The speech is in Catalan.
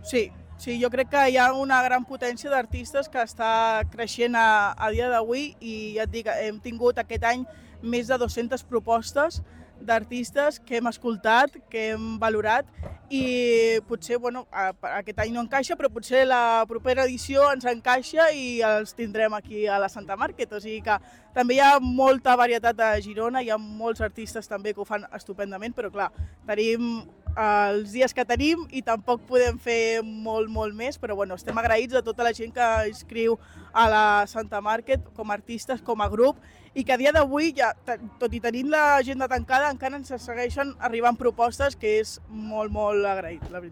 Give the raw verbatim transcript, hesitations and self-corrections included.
Sí, sí, jo crec que hi ha una gran potència d'artistes que està creixent a, a dia d'avui i ja et dic, hem tingut aquest any més de dues-centes propostes d'artistes que hem escoltat, que hem valorat i potser, bueno, aquest any no encaixa, però potser la propera edició ens encaixa i els tindrem aquí a la Santa Market, o sigui que també hi ha molta varietat a Girona, hi ha molts artistes també que ho fan estupendament, però clar, tenim els dies que tenim i tampoc podem fer molt, molt més, però bueno, estem agraïts a tota la gent que escriu a la Santa Market com a artistes, com a grup, i que a dia d'avui, ja, tot i tenint l'agenda tancada, encara ens segueixen arribant propostes, que és molt, molt agraït, la veritat.